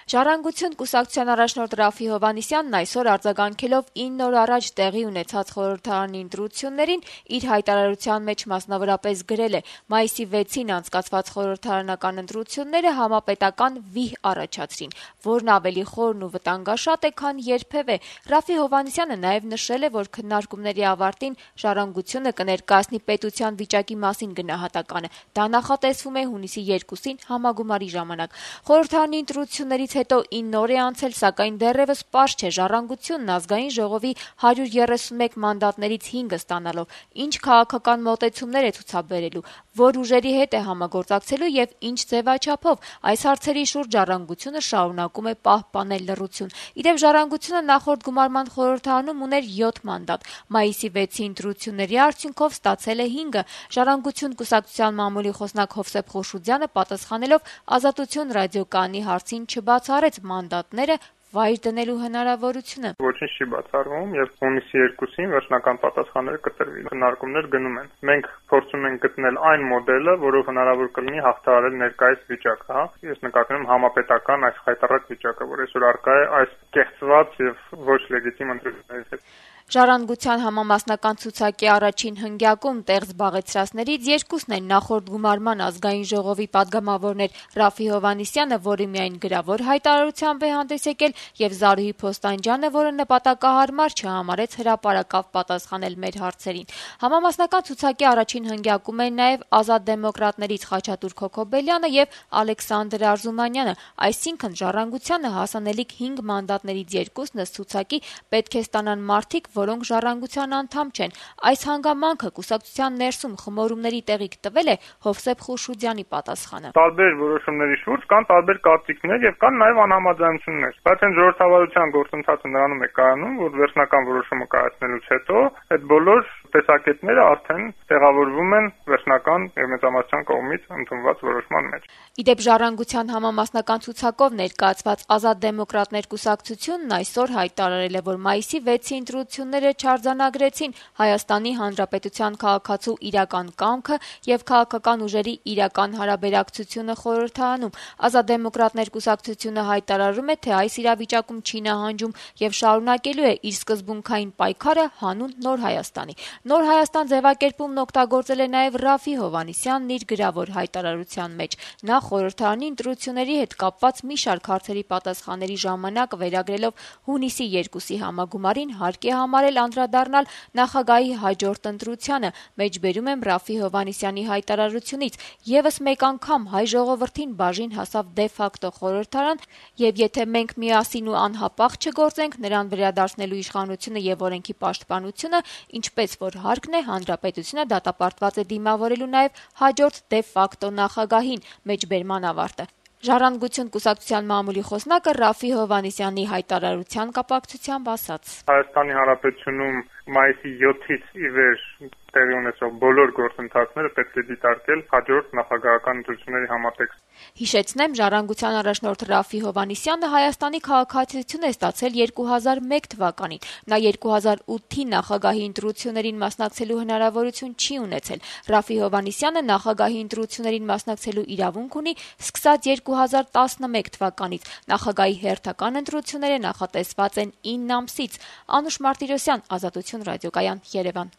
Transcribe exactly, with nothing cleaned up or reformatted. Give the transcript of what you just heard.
Ժառանգություն կուսակցության առաջնորդ Ռաֆի Հովհաննիսյանն այսօր արձագանքելով ինն օր առաջ տեղի ունեցած խորհրդարանի ընտրություններին իր հայտարարության մեջ մասնավորապես գրել է. «Մայիսի վեցին անցկացված խորհրդարանական ընտրությունները համապետական վիհ առաջացրին, որն ավելի խորն ու վտանգաշատ է, քան երբևէ»։ Ռաֆի Հովհաննիսյանը նաև նշել է, որ քննարկումների ավարտին Ժառանգությունը կներկայացնի պետության վիճակի մասին գնահատականը։ Դա նախատեսվում է հունիսի երկուսին համագումարի ժամանակ։ Խորհրդարանի ընտրություններից հետո ինն օր է անցել, սակայն դեռևս պարզ չէ Ժառանգությունն Ազգային ժողովի հարյուր երեսունմեկ մանդատներից հինգը ստանալով ինչ քաղաքական մոտեցումներ է ցուցաբերելու, որ ուժերի հետ է համագործակցելու եւ ինչ ձեւաչափով։ Այս հարցերի շուրջ Ժառանգությունը շարունակում է պահպանել լռություն։ Իդեպ Ժառանգությունը նախորդ գումարման խորհրդարանում ուներ յոթ մանդատ։ Մայիսի վեցի ընտրությունների արդյունքով ստացել է հինգը։ Ժառանգություն կուսակցության մամուլի խոսնակ Հովսեփ Խորշուդյանը պատասխանելով Ազատություն ռադիոկայանի հարցին չբացառեց մանդատները վայր դնելու հնարավորությունը։ Ոչինչ չի բացառվում եւ հունիսի երկուսին վերջնական պատասխանները կտրվի։ Քննարկումներ գնում են։ Մենք փորձում ենք գտնել այն մոդելը, որով հնարավոր կլինի հաղթահարել ներկայիս վիճակը, հա։ Ես նկատում եմ համապետական այս խայտառակ վիճակը, որ այսօր առկա է այս կեղծված եւ ոչ լեգիտիմ ընտրություններից հետ։ Ժառանգության համամասնական ցուցակի առաջին հնգյակում տեղ զբաղեցրածներից երկուսն են նախորդ գումարման Ազգային ժողովի падգամավորներ Ռաֆի Հովհաննիսյանը, որը միայն գրավոր հայտարարությամբ է հանդես եկել, եւ Զարուհի Փոստանջյանը, որը նպատակահարմար չհամարեց հրապարակավ պատասխանել մեր հարցերին։ Համամասնական ցուցակի առաջին հնգյակում են նաեւ Ազատ դեմոկրատներից Խաչատուր Քոքոբելյանը եւ Ալեքսանդր Արզումանյանը, այսինքն Ժառանգությանը հասանելիք հինգ մանդատներից երկուսն ըստ ցուցակի պետք է ստանան մարդիկ, որոնք Ժառանգության անդամ չեն։ Այս հանգամանքը կուսակցության ներսում խմորումների տեղիք տվել է Հովսեփ Խորշուդյանի պատասխանը։ Տարբեր որոշումների շուրջ կան տարբեր կարծիքներ եւ կան նաեւ անհամաձայնություններ։ Բայց այն ժողովրդավարության գործընթացը նրանում է կայանում, որ վերջնական որոշումը կայացնելուց հետո այդ բոլոր տեսակետները արդեն տեղավորվում են վերջնական եւ մեծամասնության կողմից ընդունված որոշման մեջ։ Իդեպ Ժառանգության համամասնական ցուցակով ներկայացված Ազատ դեմոկրատներ կուսակցությունն այսօր հայտարարել է, որ մայիսի վեցի ընտրությունները չարձանագրեցին Հայաստանի Հանրապետության քաղաքացու իրական կամքը եւ քաղաքական ուժերի իրական հարաբերակցությունը խորհրդարանում։ Ազատ դեմոկրատներ կուսակցությունը հայտարարում է, թե այս իրավիճակում չի նահանջում եւ շարունակելու է իր սկզբունքային պայքարը հանուն Նոր Հայաստանի։ Նոր Հայաստան ձևակերպումն օգտագործել է նաեւ Ռաֆի Հովհաննիսյանն իր գրավոր հայտարարության մեջ։ Նա խորհրդարանի ընտրությունների հետ կապված մի շարք հարցերի պատասխանների ժամանակ վերագրելով հունիսի երկուսի համագումարին հարկ է համարել անդրադառնալ նախագահի հաջորդ ընտրությանը։ Մեջբերում եմ Ռաֆի Հովհաննիսյանի հայտարարությունից. «Եվս մեկ անգամ հայ ժողովրդին բաժին հասավ դե ֆակտո խորհրդարան, եւ եթե մենք միասին ու անհապաղ չգործենք նրան վերադարձնելու իշխանությունը եւ օրենքի պաշտպանությունը, ինչպես որ հարկն է, հանրապետությունը դատապարտված է դիմավորելու նաեւ հաջորդ դե ֆակտո նախագահին»։ Մեջբերման ավարտը։ Ժառանգություն կուսակցության մամուլի խոսնակը Ռաֆի Հովհաննիսյանի հայտարարության կապակցությամբ ասաց. Հայաստանի Հանրապետությունում մայիսի յոթից ի վեր տեղի ունեցող բոլոր գործընթացները պետք է դիտարկել հաջորդ նախագահական ընտրությունների համատեքստ։ Հիշեցնեմ, Ժառանգության առաջնորդ Ռաֆի Հովհաննիսյանը Հայաստանի քաղաքացիություն է ստացել երկու հազար մեկ թվականին։ Նա երկու հազար ութի նախագահի ընտրություններին մասնակցելու հնարավորություն չի ունեցել։ Ռաֆի Հովհաննիսյանը նախագահի ընտրություններին մասնակցելու իրավունք ունի սկսած երկու հազար տասնմեկ թվականից։ Նախագահի հերթական ընտրությունները նախատեսված են ինն ամսից։ Անուշ Մարտիրոսյան, Ազատություն ռադիոկայան, Երևան։